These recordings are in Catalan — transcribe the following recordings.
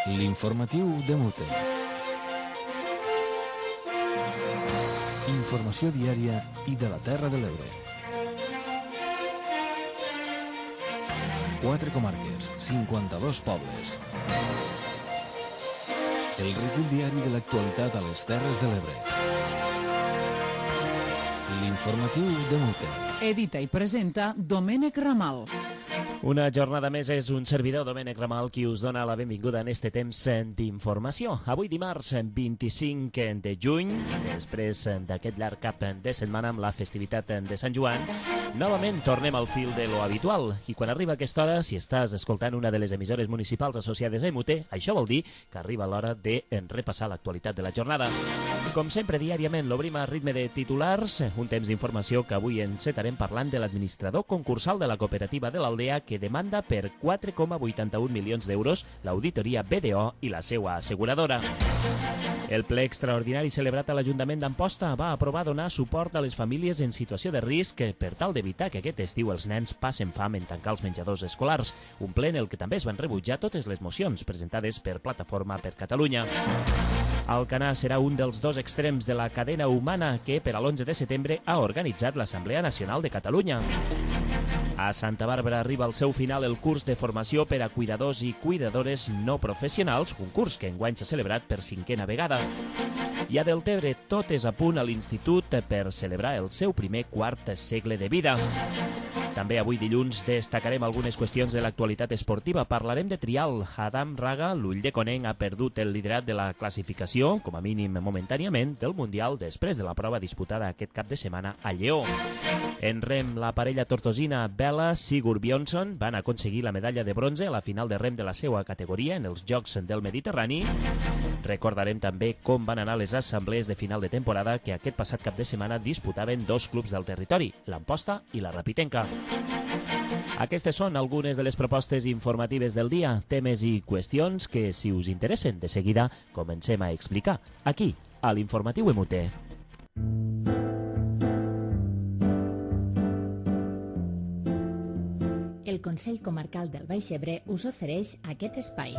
L'informatiu de Mute. Informació diària i de la Terra de l'Ebre. 4 comarques, 52 pobles. El recull diari de l'actualitat a les Terres de l'Ebre. L'informatiu de Mute. Edita i presenta Domènec Ramal. Una jornada més és un servidor, Domènec Ramal, qui us dona la benvinguda en este temps d'informació. Avui dimarts 25 de juny, després d'aquest llarg cap de setmana amb la festivitat de Sant Joan, novament tornem al fil de lo habitual. I quan arriba aquesta hora, si estàs escoltant una de les emissores municipals associades a EMUTE, això vol dir que arriba l'hora de repassar l'actualitat de la jornada. Com sempre, diàriament l'obrim a ritme de titulars, un temps d'informació que avui encetarem parlant de l'administrador concursal de la cooperativa de l'Aldea que demanda per 4,81 milions d'euros l'auditoria BDO i la seva asseguradora. El ple extraordinari celebrat a l'Ajuntament d'Amposta va aprovar donar suport a les famílies en situació de risc per tal d'evitar que aquest estiu els nens passen fam en tancar els menjadors escolars, un ple en el que també es van rebutjar totes les mocions presentades per Plataforma per Catalunya. Alcanar serà un dels dos extrems de la cadena humana que per a l'11 de setembre ha organitzat l'Assemblea Nacional de Catalunya. A Santa Bàrbara arriba al seu final el curs de formació per a cuidadors i cuidadores no professionals, un curs que enguany s'ha celebrat per 5a vegada. I a Deltebre tot és a punt a l'Institut per celebrar el seu primer quart segle de vida. També avui dilluns destacarem algunes qüestions de l'actualitat esportiva. Parlarem de trial. Adam Raga, l'ull de Coneng, ha perdut el liderat de la classificació, com a mínim momentàniament, del Mundial després de la prova disputada aquest cap de setmana a Lleó. En rem, la parella tortosina Bella Sigurd Bjornsson van aconseguir la medalla de bronze a la final de rem de la seva categoria en els Jocs del Mediterrani. Recordarem també com van anar les assemblees de final de temporada que aquest passat cap de setmana disputaven dos clubs del territori, l'Amposta i la Rapitenca. Aquestes són algunes de les propostes informatives del dia, temes i qüestions que, si us interessen, de seguida comencem a explicar, aquí, a l'Informatiu EMUTE. El Consell Comarcal del Baix Ebre us ofereix aquest espai.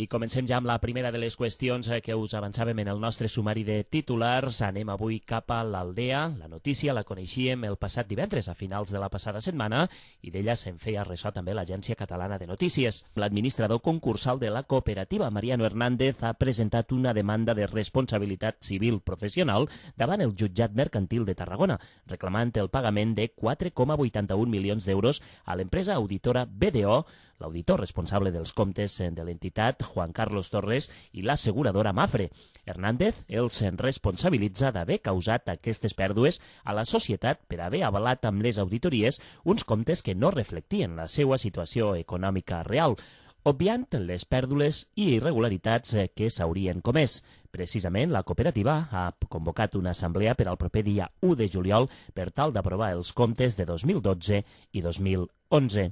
I comencem ja amb la primera de les qüestions que us avançàvem en el nostre sumari de titulars. Anem avui cap a l'Aldea. La notícia la coneixíem el passat divendres, a finals de la passada setmana, i d'ella se'n feia ressò també l'Agència Catalana de Notícies. L'administrador concursal de la cooperativa, Mariano Hernández, ha presentat una demanda de responsabilitat civil professional davant el jutjat mercantil de Tarragona, reclamant el pagament de 4,81 milions d'euros a l'empresa auditora BDO, l'auditor responsable dels comptes de l'entitat, Juan Carlos Torres, i l'asseguradora Mafre. Hernández els responsabilitza d'haver causat aquestes pèrdues a la societat per haver avalat amb les auditories uns comptes que no reflectien la seva situació econòmica real, obviant les pèrdues i irregularitats que s'haurien comès. Precisament, la cooperativa ha convocat una assemblea per al proper dia 1 de juliol per tal d'aprovar els comptes de 2012 i 2011.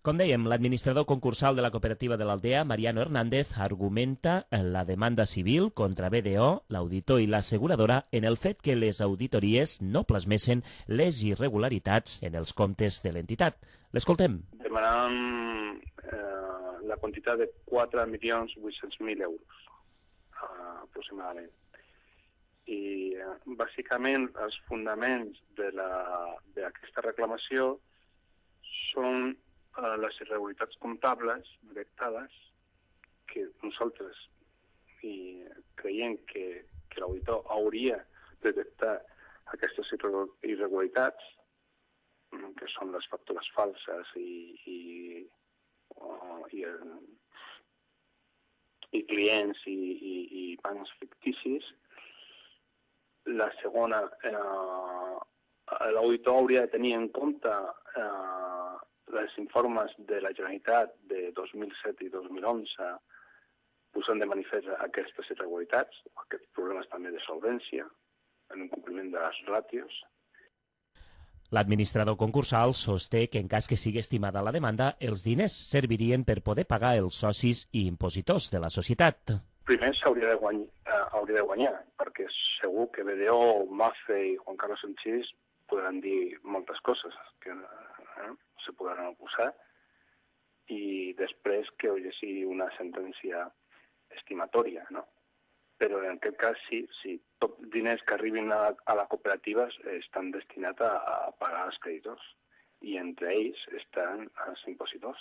Com dèiem, l'administrador concursal de la cooperativa de l'Aldea, Mariano Hernández, argumenta la demanda civil contra BDO, l'auditor i l'asseguradora en el fet que les auditories no plasmessen les irregularitats en els comptes de l'entitat. L'escoltem. Demanàvem la quantitat de 4.800.000 euros, aproximadament. I, bàsicament, els fonaments d'aquesta reclamació són les irregularitats comptables detectades, que nosaltres creiem que l'auditor hauria detectat aquestes irregularitats, que són les factures falses i clients i bancs ficticis. La segona, l'auditor hauria de tenir en compte els informes de la Generalitat de 2007 i 2011 posant de manifest aquestes irregularitats, aquests problemes també de solvència, en un compliment de les ràtios. L'administrador concursal sosté que en cas que sigui estimada la demanda, els diners servirien per poder pagar els socis i impositors de la societat. Primer s'hauria de guanyar, perquè segur que BDO, Mafre i Juan Carlos Sanchís podran dir moltes coses que se podran oposar, i després que hi hagi una sentència estimatòria, no? Però en aquest cas sí, tots els diners que arribin a la cooperativa estan destinats a pagar els creditors, i entre ells estan els impositors.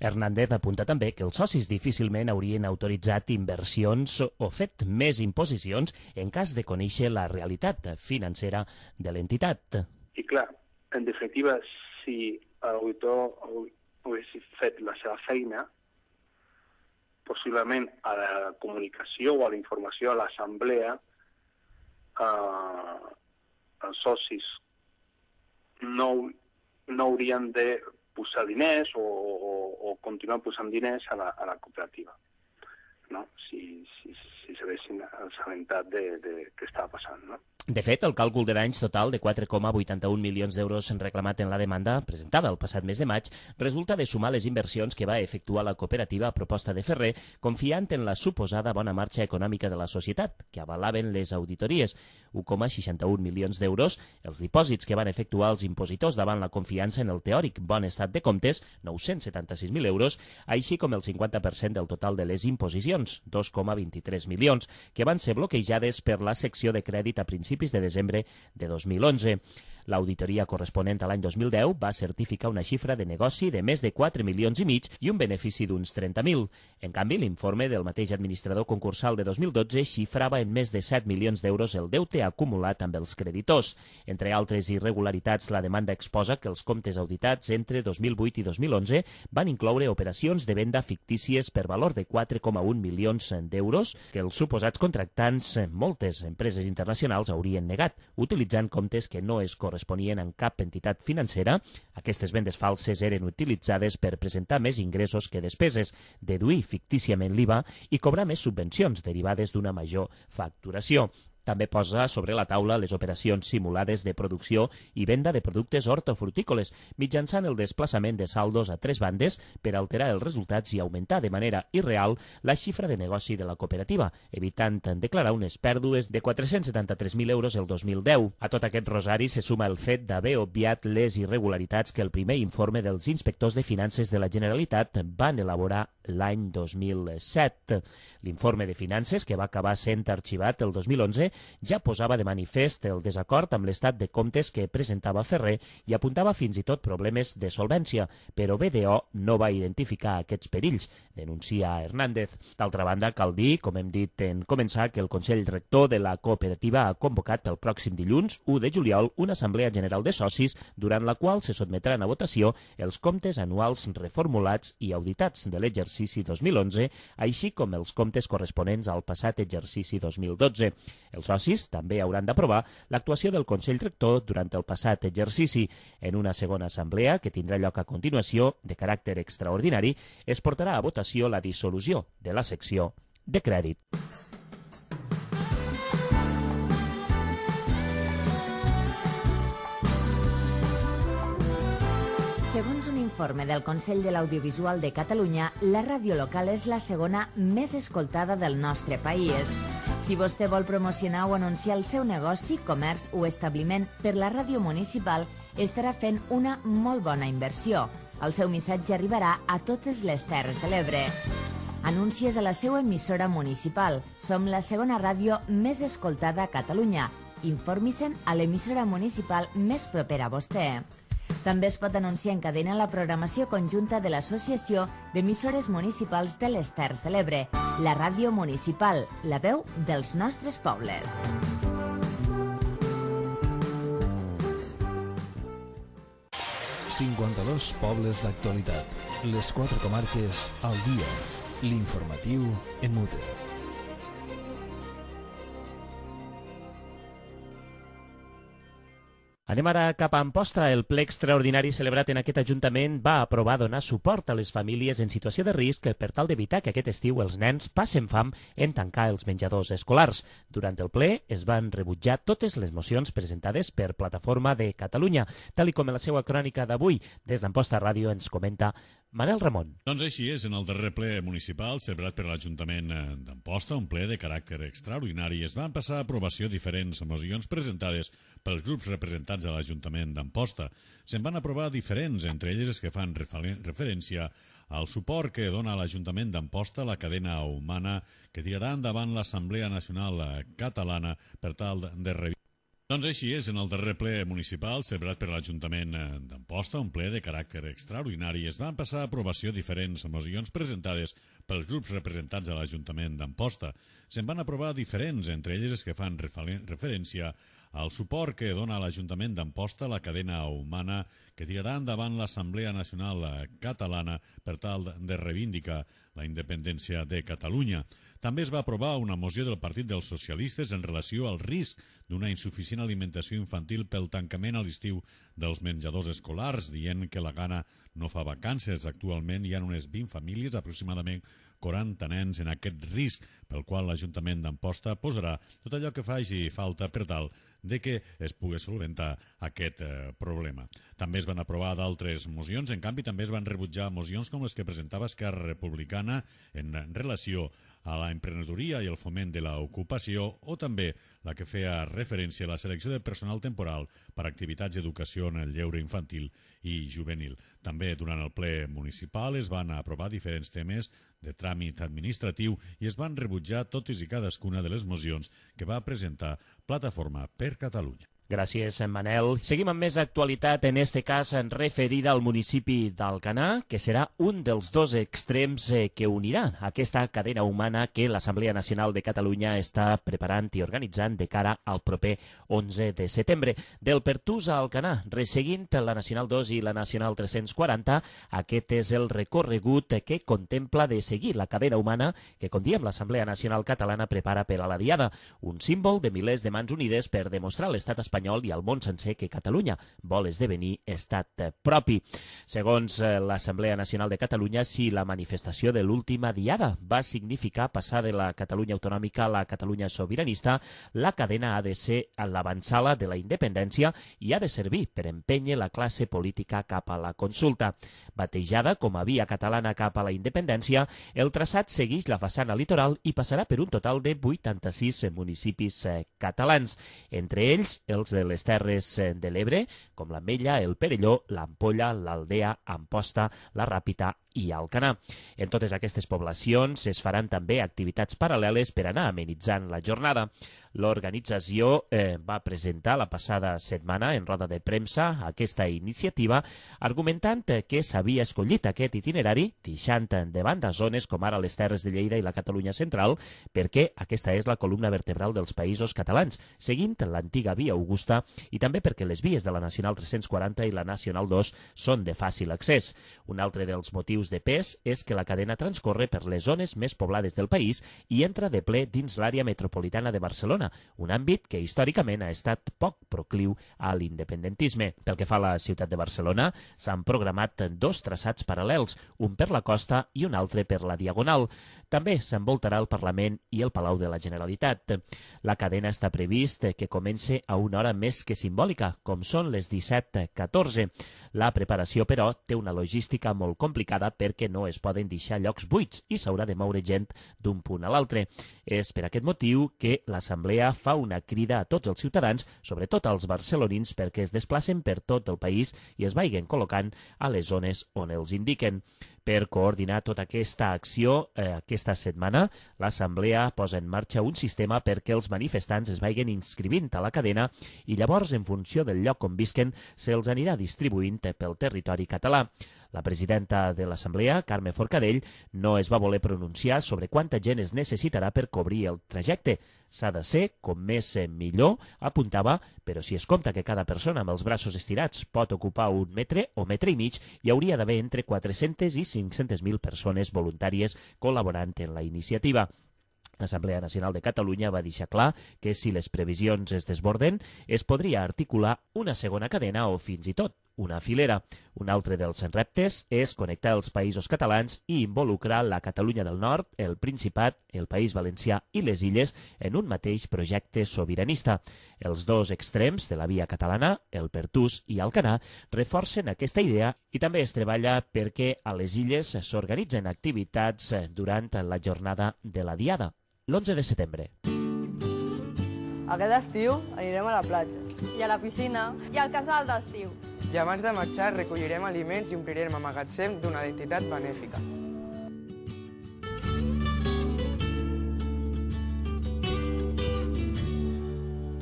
Hernández apunta també que els socis difícilment haurien autoritzat inversions o fet més imposicions en cas de conèixer la realitat financera de l'entitat. I clar, en definitiva, si l'auditor hagués fet la seva feina, possiblement a la comunicació o a la informació a l'assemblea, els socis no haurien de posar diners o continuar posant diners a la cooperativa, no? Si s'haguessin assabentat de què estava passant, no? De fet, el càlcul de danys total de 4,81 milions d'euros reclamat en la demanda presentada el passat mes de maig resulta de sumar les inversions que va efectuar la cooperativa a proposta de Ferrer, confiant en la suposada bona marxa econòmica de la societat, que avalaven les auditories, 1,61 milions d'euros, els dipòsits que van efectuar els impositors davant la confiança en el teòric bon estat de comptes, 976.000 euros, així com el 50% del total de les imposicions, 2,23 milions, que van ser bloquejades per la secció de crèdit a principis de desembre de 2011. L'auditoria corresponent a l'any 2010 va certificar una xifra de negoci de més de 4 milions i mig i un benefici d'uns 30.000. En canvi, l'informe del mateix administrador concursal de 2012 xifrava en més de 7 milions d'euros el deute acumulat amb els creditors. Entre altres irregularitats, la demanda exposa que els comptes auditats entre 2008 i 2011 van incloure operacions de venda fictícies per valor de 4,1 milions d'euros que els suposats contractants, moltes empreses internacionals, haurien negat, utilitzant comptes que no es corresponien en cap entitat financera. Aquestes vendes falses eren utilitzades per presentar més ingressos que despeses, deduir fictíciament l'IVA i cobrar més subvencions derivades d'una major facturació. També posa sobre la taula les operacions simulades de producció i venda de productes hortofrutícoles, mitjançant el desplaçament de saldos a tres bandes per alterar els resultats i augmentar de manera irreal la xifra de negoci de la cooperativa, evitant declarar unes pèrdues de 473.000 euros el 2010. A tot aquest rosari se suma el fet d'haver obviat les irregularitats que el primer informe dels inspectors de finances de la Generalitat van elaborar l'any 2007. L'informe de finances, que va acabar sent arxivat el 2011, ja posava de manifest el desacord amb l'estat de comptes que presentava Ferrer i apuntava fins i tot problemes de solvència, però BDO no va identificar aquests perills, denuncia Hernández. D'altra banda, cal dir, com hem dit en començar, que el Consell Rector de la cooperativa ha convocat pel pròxim dilluns, 1 de juliol, una assemblea general de socis, durant la qual se sotmetran a votació els comptes anuals reformulats i auditats de l'exercici 2011, així com els comptes corresponents al passat exercici 2012. Els socis també hauran d'aprovar l'actuació del Consell Rector durant el passat exercici. En una segona assemblea, que tindrà lloc a continuació, de caràcter extraordinari, es portarà a votació la dissolució de la secció de crèdit. Segons un informe del Consell de l'Audiovisual de Catalunya, la ràdio local és la segona més escoltada del nostre país. Si vostè vol promocionar o anunciar el seu negoci, comerç o establiment per la ràdio municipal, estarà fent una molt bona inversió. El seu missatge arribarà a totes les Terres de l'Ebre. Anuncies a la seva emissora municipal. Som la segona ràdio més escoltada a Catalunya. Informi-se'n a l'emissora municipal més propera a vostè. També es pot anunciar en cadena la programació conjunta de l'Associació d'Emissores Municipals de les Terres de l'Ebre, la ràdio municipal, la veu dels nostres pobles. «52 pobles d'actualitat. Les 4 comarques al dia. L'informatiu en Mute». Anem ara cap a Amposta. El ple extraordinari celebrat en aquest Ajuntament va aprovar donar suport a les famílies en situació de risc per tal d'evitar que aquest estiu els nens passen fam en tancar els menjadors escolars. Durant el ple es van rebutjar totes les mocions presentades per Plataforma de Catalunya. Tal com en la seva crònica d'avui, des d'Amposta Ràdio ens comenta Manel Ramon. Doncs així és, en el darrer ple municipal celebrat per l'Ajuntament d'Amposta, un ple de caràcter extraordinari, es van passar a aprovació diferents mocions presentades pels grups representats a l'Ajuntament d'Amposta. Se'n van aprovar diferents, entre elles les que fan referència al suport que dona l'Ajuntament d'Amposta a la cadena humana que tirarà endavant l'Assemblea Nacional Catalana per tal de revisar. Doncs així és, en el darrer ple municipal celebrat per l'Ajuntament d'Amposta, un ple de caràcter extraordinari, es van passar a aprovació diferents mocions presentades pels grups representats a l'Ajuntament d'Amposta. Se'n van aprovar diferents, entre elles les que fan referència al suport que dona l'Ajuntament d'Amposta a la cadena humana que tirarà endavant l'Assemblea Nacional Catalana per tal de reivindicar la independència de Catalunya. També es va aprovar una moció del Partit dels Socialistes en relació al risc d'una insuficient alimentació infantil pel tancament a l'estiu dels menjadors escolars, dient que la Gana no fa vacances. Actualment hi ha unes 20 famílies, aproximadament 40 nens en aquest risc, pel qual l'Ajuntament d'Amposta posarà tot allò que faci falta per tal de que es pugui solventar aquest problema. També es van aprovar d'altres mocions, en canvi també es van rebutjar mocions com les que presentava Esquerra Republicana en relació a la emprenedoria i el foment de l'ocupació, o també la que feia referència a la selecció de personal temporal per a activitats d'educació en el lleure infantil i juvenil. També durant el ple municipal es van aprovar diferents temes de tràmit administratiu i es van rebutjar totes i cadascuna de les mocions que va presentar Plataforma per Catalunya. Gràcies, Manel. Seguim amb més actualitat, en este cas referida al municipi d'Alcanar, que serà un dels dos extrems que uniran aquesta cadena humana que l'Assemblea Nacional de Catalunya està preparant i organitzant de cara al proper 11 de setembre. Del Pertús a Alcanar, resseguint la Nacional 2 i la Nacional 340, aquest és el recorregut que contempla de seguir la cadena humana que, com diem, l'Assemblea Nacional Catalana prepara per a la Diada, un símbol de milers de mans unides per demostrar a l'estat espanyol i al món sencer que Catalunya vol esdevenir estat propi. Segons l'Assemblea Nacional de Catalunya, si la manifestació de l'última Diada va significar passar de la Catalunya autonòmica a la Catalunya sobiranista, la cadena ha de ser l'avantsala de la independència i ha de servir per empènyer la classe política cap a la consulta. Batejada com a via catalana cap a la independència, el traçat segueix la façana litoral i passarà per un total de 86 municipis catalans, entre ells els de les Terres de l'Ebre, com l'Ametlla, el Perelló, l'Ampolla, l'Aldea, Amposta, la Ràpita i Alcanar. En totes aquestes poblacions es faran també activitats paral·leles per anar amenitzant la jornada. L'organització va presentar la passada setmana en roda de premsa aquesta iniciativa, argumentant que s'havia escollit aquest itinerari, deixant de banda zones com ara les Terres de Lleida i la Catalunya central, perquè aquesta és la columna vertebral dels països catalans, seguint l'antiga via Augusta, i també perquè les vies de la Nacional 340 i la Nacional 2 són de fàcil accés. Un altre dels motius de pes és que la cadena transcorre per les zones més poblades del país i entra de ple dins l'àrea metropolitana de Barcelona, un àmbit que històricament ha estat poc procliu a l'independentisme. Pel que fa a la ciutat de Barcelona, s'han programat dos traçats paral·lels, un per la costa i un altre per la Diagonal. També s'envoltarà el Parlament i el Palau de la Generalitat. La cadena està previst que comence a una hora més que simbòlica, com són les 17:14. La preparació, però, té una logística molt complicada perquè no es poden deixar llocs buits i s'haurà de moure gent d'un punt a l'altre. És per aquest motiu que l'Assemblea fa una crida a tots els ciutadans, sobretot als barcelonins, perquè es desplacen per tot el país i es vagin col·locant a les zones on els indiquen. Per coordinar tota aquesta acció, aquesta setmana, l'Assemblea posa en marxa un sistema perquè els manifestants es vagin inscrivint a la cadena i llavors, en funció del lloc on visquen, se'ls anirà distribuint pel territori català. La presidenta de l'Assemblea, Carme Forcadell, no es va voler pronunciar sobre quanta gent es necessitarà per cobrir el trajecte. S'ha de ser, com més millor, apuntava, però si es compta que cada persona amb els braços estirats pot ocupar un metre o metre i mig, hi hauria d'haver entre 400 i 500.000 persones voluntàries col·laborant en la iniciativa. L'Assemblea Nacional de Catalunya va deixar clar que si les previsions es desborden, es podria articular una segona cadena o fins i tot una filera. Un altre dels reptes és connectar els països catalans i involucrar la Catalunya del Nord, el Principat, el País Valencià i les Illes en un mateix projecte sobiranista. Els dos extrems de la via catalana, el Pertús i Alcanar, reforcen aquesta idea i també es treballa perquè a les Illes s'organitzen activitats durant la jornada de la Diada, l'11 de setembre. Aquest estiu anirem a la platja. I a la piscina. I al casal d'estiu. I abans de marxar recollirem aliments i omplirem el magatzem d'una entitat benèfica.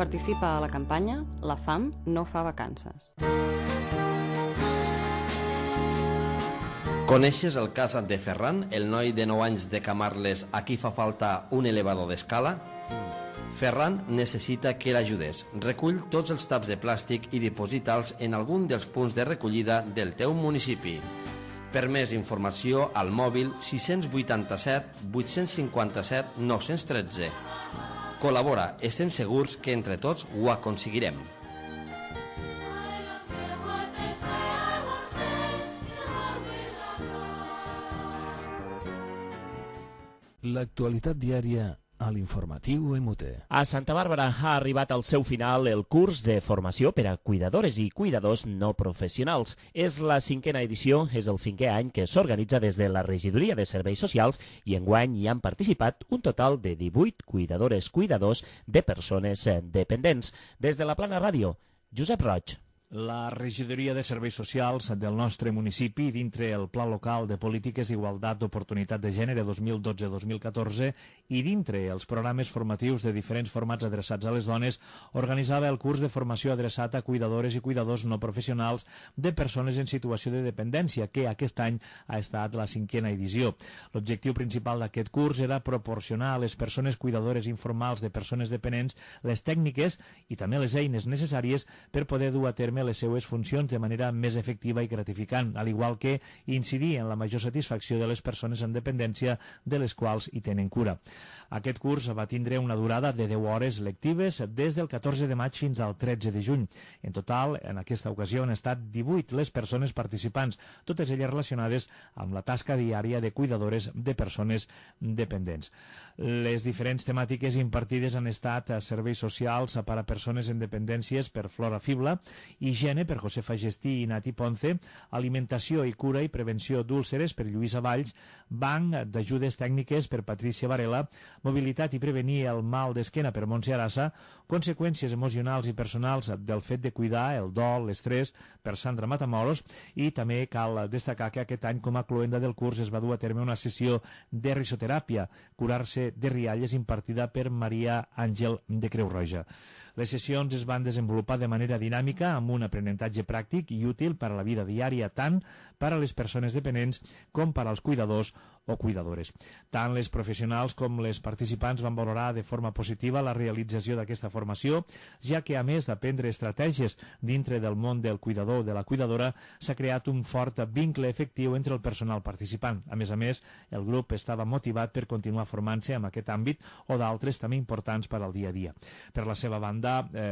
Participa a la campanya La fam no fa vacances. Coneixes el cas de Ferran, el noi de 9 anys de Camarles a qui fa falta un elevador d'escala? Ferran necessita que l'ajudes. Recull tots els taps de plàstic i diposita'ls en algun dels punts de recollida del teu municipi. Per més informació, al mòbil 687 857 913. Col·labora, estem segurs que entre tots ho aconseguirem. L'actualitat diària a l'informatiu MUT. A Santa Bàrbara ha arribat al seu final el curs de formació per a cuidadores i cuidadors no professionals. És la 5a edició, és el 5è any que s'organitza des de la Regidoria de Serveis Socials i enguany hi han participat un total de 18 cuidadores-cuidadors de persones dependents. Des de la Plana Ràdio, Josep Roig. La Regidoria de Serveis Socials del nostre municipi, dintre el Pla Local de Polítiques d'Igualtat d'Oportunitat de Gènere 2012-2014 i dintre els programes formatius de diferents formats adreçats a les dones, organitzava el curs de formació adreçat a cuidadores i cuidadors no professionals de persones en situació de dependència, que aquest any ha estat la 5a edició. L'objectiu principal d'aquest curs era proporcionar a les persones cuidadores informals de persones dependents les tècniques i també les eines necessàries per poder dur a terme les seues funcions de manera més efectiva i gratificant, al igual que incidir en la major satisfacció de les persones en dependència de les quals hi tenen cura. Aquest curs va tindre una durada de 10 hores lectives des del 14 de maig fins al 13 de juny. En total, en aquesta ocasió han estat 18 les persones participants, totes elles relacionades amb la tasca diària de cuidadores de persones dependents. Les diferents temàtiques impartides han estat serveis socials per a persones en dependències per Flora Fibla, higiene per Josefa Gestí i Nati Ponce, alimentació i cura i prevenció d'úlceres per Lluïsa Valls, banc d'ajudes tècniques per Patricia Varela, mobilitat i prevenir el mal d'esquena per Montse Arassa, conseqüències emocionals i personals del fet de cuidar, el dol, l'estrès, per Sandra Matamoros, i també cal destacar que aquest any com a cloenda del curs es va dur a terme una sessió de risoteràpia, curar-se de rialles, impartida per Maria Àngel de Creu Roja. Les sessions es van desenvolupar de manera dinàmica amb un aprenentatge pràctic i útil per a la vida diària tant per a les persones dependents com per als cuidadors o cuidadores. Tant les professionals com les participants van valorar de forma positiva la realització d'aquesta formació, ja que a més d'aprendre estratègies dintre del món del cuidador o de la cuidadora, s'ha creat un fort vincle efectiu entre el personal participant. A més, el grup estava motivat per continuar formant-se en aquest àmbit o d'altres també importants per al dia a dia. Per la seva banda,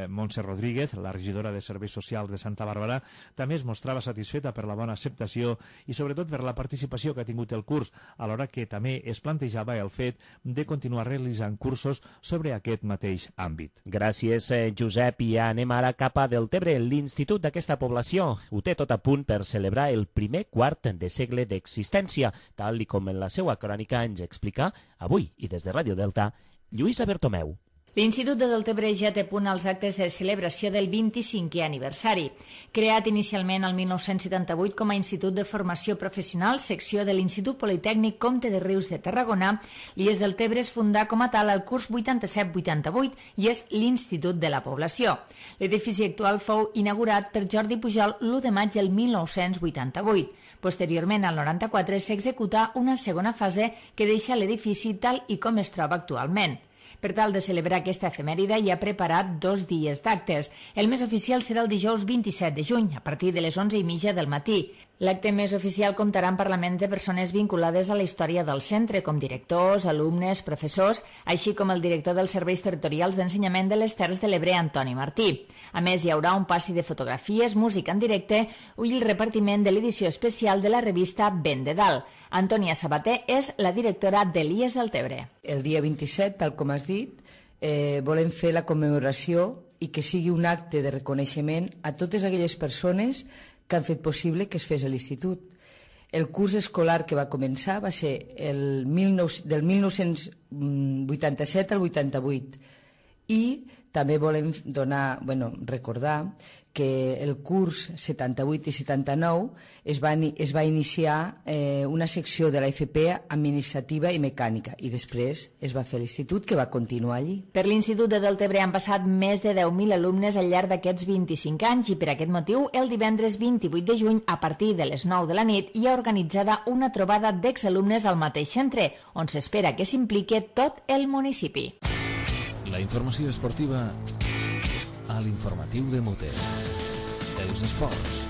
Montse Rodríguez, la regidora de Serveis Socials de Santa Bàrbara, també es mostrava satisfeta per la bona acceptació i sobretot per la participació que ha tingut el curs, alhora que també es plantejava el fet de continuar realitzant cursos sobre aquest mateix àmbit. Gràcies, Josep. I anem ara cap a Deltebre. L'institut d'aquesta població ho té tot a punt per celebrar el primer quart de segle d'existència, tal com en la seva crònica ens explica avui i des de Ràdio Delta, Lluïsa Bertomeu. L'Institut de Deltebre ja té a punt els actes de celebració del 25è aniversari. Creat inicialment el 1978 com a Institut de Formació Professional, secció de l'Institut Politècnic Comte de Rius de Tarragona, l'IES Deltebre es fundà com a tal el curs 87-88 i és l'Institut de la Població. L'edifici actual fou inaugurat per Jordi Pujol l'1 de maig del 1988. Posteriorment, al 94, s'executà una segona fase que deixa l'edifici tal i com es troba actualment. Per tal de celebrar aquesta efemèride hi ha preparat 2 dies d'actes. El més oficial serà el dijous 27 de juny, a partir de les 11:30 del matí. L'acte més oficial comptarà amb Parlament de persones vinculades a la història del centre, com directors, alumnes, professors, així com el director dels Serveis Territorials d'Ensenyament de les Terres de l'Ebre, Antoni Martí. A més, hi haurà un passi de fotografies, música en directe i el repartiment de l'edició especial de la revista Ben de Dalt. Antònia Sabater és la directora de l'IES Deltebre. El dia 27, tal com has dit, volem fer la commemoració i que sigui un acte de reconeixement a totes aquelles persones que han fet possible que es fes a l'institut. El curs escolar que va començar va ser del 1987 al 88 i també volem recordar que el curs 78 i 79 es va iniciar una secció de la FP administrativa i mecànica i després es va fer l'institut, que va continuar allí. Per l'Institut de Deltebre han passat més de 10.000 alumnes al llarg d'aquests 25 anys i per aquest motiu el divendres 28 de juny a partir de les 9 de la nit hi ha organitzada una trobada d'exalumnes al mateix centre on s'espera que s'implique tot el municipi. La informació esportiva a l'informatiu de Muter. Els esports.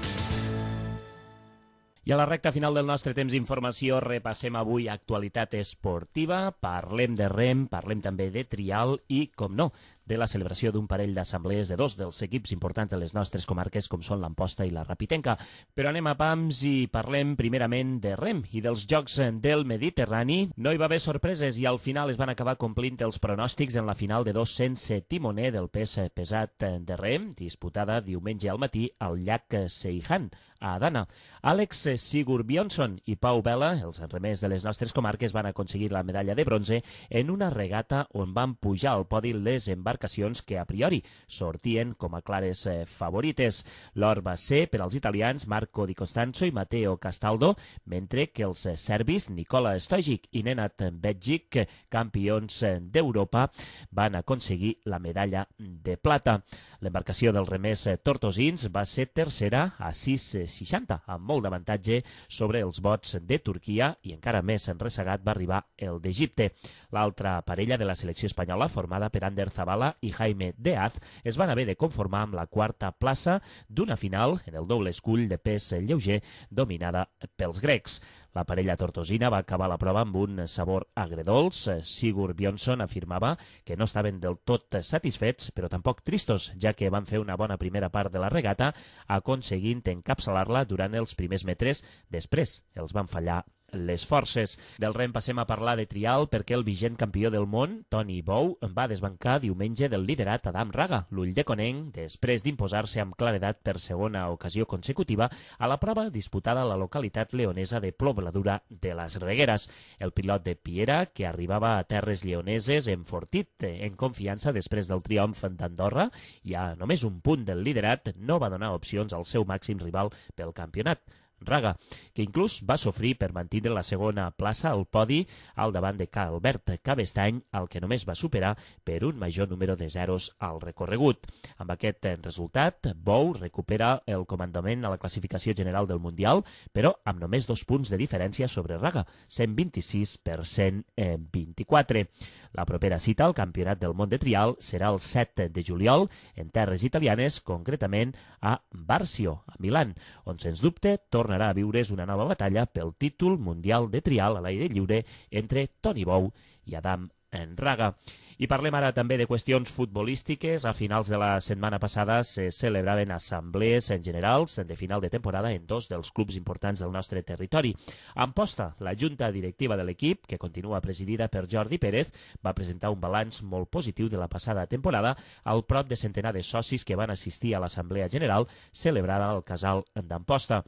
I a la recta final del nostre temps d'informació repassem avui actualitat esportiva, parlem de rem, parlem també de trial i, com no, de la celebració d'un parell d'assemblees de dos dels equips importants de les nostres comarques com són l'Amposta i la Rapitenca. Però anem a pams i parlem primerament de rem i dels Jocs del Mediterrani. No hi va haver sorpreses i al final es van acabar complint els pronòstics en la final de 200 timoner del pes pesat de rem, disputada diumenge al matí al llac Seihan, a Adana. Àlex Sigurbionsson i Pau Vela, els remers de les nostres comarques, van aconseguir la medalla de bronze en una regata on van pujar al podi les embarcacions que a priori sortien com a clares favorites. L'or va ser per als italians Marco Di Costanzo i Matteo Castaldo, mentre que els serbis Nikola Stojic i Nenad Begic, campions d'Europa, van aconseguir la medalla de plata. L'embarcació dels remers tortosins va ser tercera a 6,60, amb molt d'avantatge sobre els bots de Turquia i encara més enressagat va arribar el d'Egipte. L'altra parella de la selecció espanyola, formada per Ander Zabala i Jaime Deaz, es van haver de conformar amb la quarta plaça d'una final en el doble escull de pes lleuger dominada pels grecs. La parella tortosina va acabar la prova amb un sabor agredolç. Sigurbionsson afirmava que no estaven del tot satisfets, però tampoc tristos, ja que van fer una bona primera part de la regata, aconseguint encapçalar-la durant els primers metres. Després els van fallar les forces. Del rem passem a parlar de trial perquè el vigent campió del món, Toni Bou, va desbancar diumenge del liderat Adam Raga, l'ull de Conenc, després d'imposar-se amb claredat per segona ocasió consecutiva a la prova disputada a la localitat leonesa de Pobladura de les Regueres. El pilot de Piera, que arribava a terres lleoneses enfortit en confiança després del triomf d'Andorra i a només un punt del liderat, no va donar opcions al seu màxim rival pel campionat, Raga, que inclús va sofrir per mantenir la segona plaça al podi al davant de Albert Cabestany, el que només va superar per un major número de zeros al recorregut. Amb aquest resultat, Bou recupera el comandament a la classificació general del Mundial, però amb només 2 punts de diferència sobre Raga, 126 per 124. La propera cita al Campionat del Món de Trial serà el 7 de juliol en terres italianes, concretament a Barcio, a Milan, on sens dubte tornarà a viure's una nova batalla pel títol mundial de trial a l'aire lliure entre Toni Bou i Adam Raga. I parlem ara també de qüestions futbolístiques. A finals de la setmana passada se celebraven assemblees generals de final de temporada en 2 dels clubs importants del nostre territori. A Amposta, la junta directiva de l'equip, que continua presidida per Jordi Pérez, va presentar un balanç molt positiu de la passada temporada al prop de centenar de socis que van assistir a l'assemblea general celebrada al casal d'Amposta.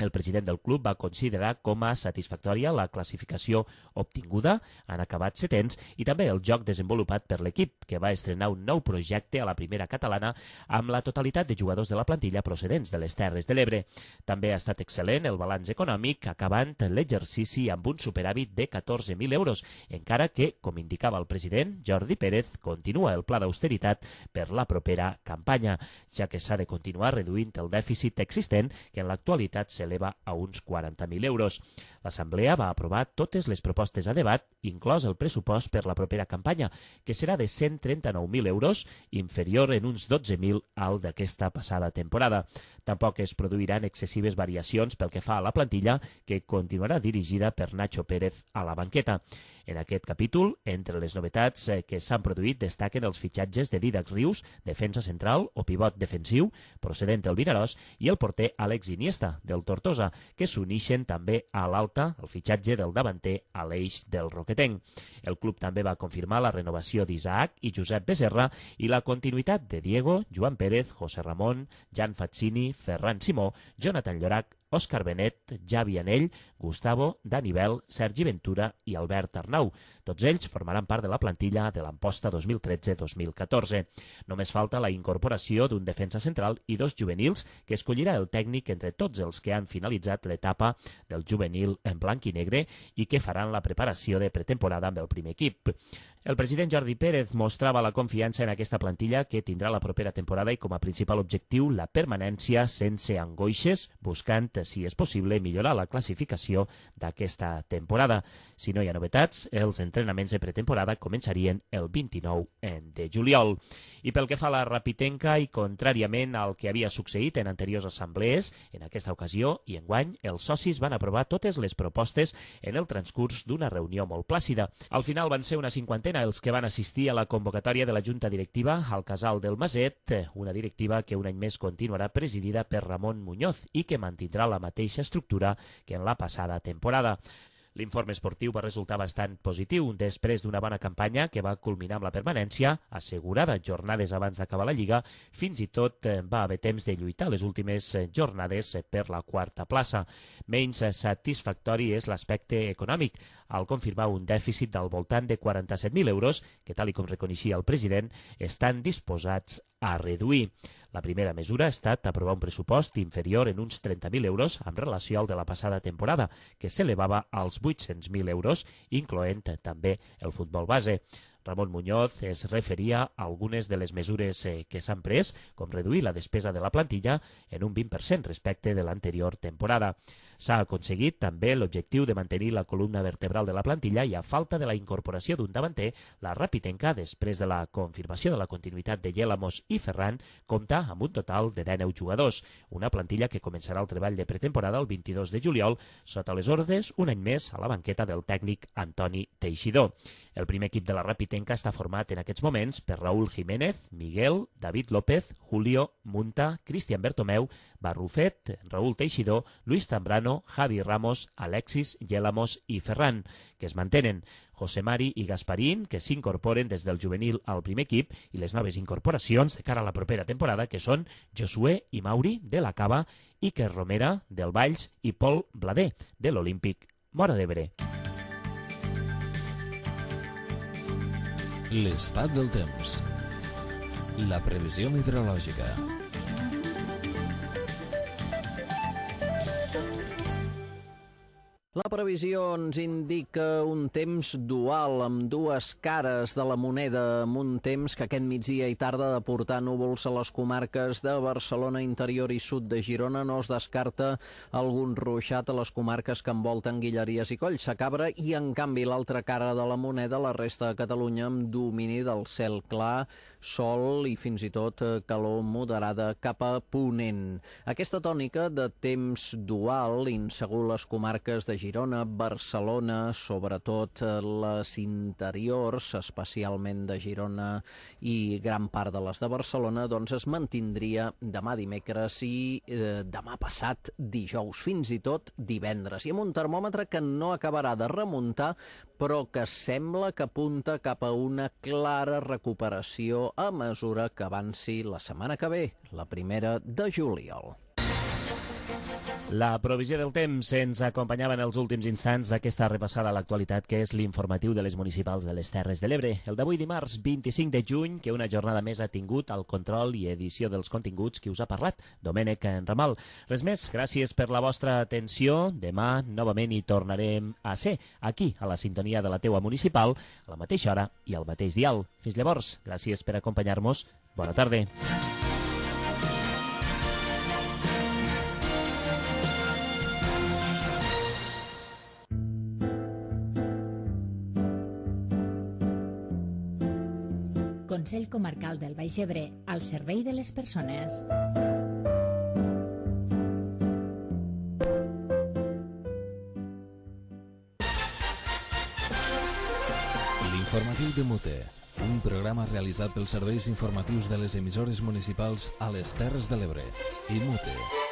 El president del club va considerar com a satisfactòria la classificació obtinguda, han acabat setens, i també el joc desenvolupat per l'equip, que va estrenar un nou projecte a la primera catalana amb la totalitat de jugadors de la plantilla procedents de les Terres de l'Ebre. També ha estat excel·lent el balanç econòmic, acabant l'exercici amb un superàvit de 14.000 euros, encara que, com indicava el president, Jordi Pérez, continua el pla d'austeritat per la propera campanya, ja que s'ha de continuar reduint el dèficit existent, que en l'actualitat s'eleva a uns 40.000 euros. L'Assemblea va aprovar totes les propostes a debat, inclòs el pressupost per la propera campanya, que serà de 139.000 euros, inferior en uns 12.000 al d'aquesta passada temporada. Tampoc es produiran excessives variacions pel que fa a la plantilla, que continuarà dirigida per Nacho Pérez a la banqueta. En aquest capítol, entre les novetats que s'han produït, destaquen els fitxatges de Dídac Rius, defensa central o pivot defensiu, procedent del Vinaròs, i el porter Àlex Iniesta, del Tortosa, que s'unixen també a l'alta, el fitxatge del davanter a l'eix del Roquetenc. El club també va confirmar la renovació d'Isaac i Josep Becerra i la continuïtat de Diego, Joan Pérez, José Ramón, Jan Fazzini, Ferran Simó, Jonathan Llorac, Òscar Benet, Javi Anell, Gustavo, Dani Bel, Sergi Ventura i Albert Arnau. Tots ells formaran part de la plantilla de l'Amposta 2013-2014. Només falta la incorporació d'un defensa central i dos juvenils que escollirà el tècnic entre tots els que han finalitzat l'etapa del juvenil en blanc i negre i que faran la preparació de pretemporada amb el primer equip. El president Jordi Pérez mostrava la confiança en aquesta plantilla que tindrà la propera temporada i com a principal objectiu la permanència sense angoixes, buscant, si és possible, millorar la classificació d'aquesta temporada. Si no hi ha novetats, els entrenaments de pretemporada començarien el 29 de juliol. I pel que fa a la Rapitenca, i contràriament al que havia succeït en anteriors assemblees, en aquesta ocasió i enguany, els socis van aprovar totes les propostes en el transcurs d'una reunió molt plàcida. Al final van ser una cinquantena els que van assistir a la convocatòria de la Junta Directiva al Casal del Maset, una directiva que un any més continuarà presidida per Ramon Muñoz i que mantindrà la mateixa estructura que en la passada temporada. L'informe esportiu va resultar bastant positiu després d'una bona campanya que va culminar amb la permanència, assegurada jornades abans d'acabar la Lliga, fins i tot va haver temps de lluitar les últimes jornades per la quarta plaça. Menys satisfactori és l'aspecte econòmic, al confirmar un dèficit del voltant de 47.000 euros, que tal com reconeixia el president, estan disposats a reduir. La primera mesura ha estat aprovar un pressupost inferior en uns 30.000 euros en relació al de la passada temporada, que s'elevava als 800.000 euros, incloent també el futbol base. Ramon Muñoz es referia a algunes de les mesures que s'han pres, com reduir la despesa de la plantilla en un 20% respecte de l'anterior temporada. S'ha aconseguit també l'objectiu de mantenir la columna vertebral de la plantilla i a falta de la incorporació d'un davanter, la Rapitenca, després de la confirmació de la continuïtat de Yélamos i Ferran, compta amb un total de 19 jugadors, una plantilla que començarà el treball de pretemporada el 22 de juliol, sota les ordres, un any més, a la banqueta del tècnic Antoni Teixidor. El primer equip de la Rapitenca està format en aquests moments per Raúl Jiménez, Miguel, David López, Julio, Munta, Cristian Bertomeu, Barrufet, Raúl Teixidor, Luis Zambrano, Javi Ramos, Alexis, Yélamos i Ferran, que es mantenen. José Mari i Gasparín, que s'incorporen des del juvenil al primer equip, i les noves incorporacions de cara a la propera temporada, que són Josué i Mauri, de la Cava, Iker Romera, del Valls, i Pol Blader, de l'Olímpic Móra d'Ebre. L'estat del temps. La previsió meteorològica. La previsió ens indica un temps dual amb dues cares de la moneda, amb un temps que aquest migdia i tarda ha de portar núvols a les comarques de Barcelona, interior i sud de Girona. No es descarta algun ruixat a les comarques que envolten Guilleries i Collsacabra i, en canvi, l'altra cara de la moneda, la resta de Catalunya, amb domini del cel clar, sol i fins i tot calor moderada cap a ponent. Aquesta tònica de temps dual insegur les comarques de Girona, Barcelona, sobretot les interiors, especialment de Girona i gran part de les de Barcelona, doncs es mantindria demà dimecres i demà passat dijous, fins i tot divendres. I amb un termòmetre que no acabarà de remuntar, però que sembla que apunta cap a una clara recuperació a mesura que avanci la setmana que ve, la primera de juliol. La provisió del temps ens acompanyava en els últims instants d'aquesta repassada a l'actualitat, que és l'informatiu de les municipals de les Terres de l'Ebre. El d'avui dimarts 25 de juny, que una jornada més ha tingut el control i edició dels continguts que us ha parlat Domènec Ramal. Res més, gràcies per la vostra atenció. Demà novament hi tornarem a ser, aquí, a la sintonia de la teua municipal, a la mateixa hora i al mateix dial. Fins llavors, gràcies per acompanyar-nos. Bona tarda. Consell Comarcal del Baix Ebre, al servei de les persones. L'informatiu de Mute, un programa realitzat pels serveis informatius de les emissores municipals a les Terres de l'Ebre i Mute.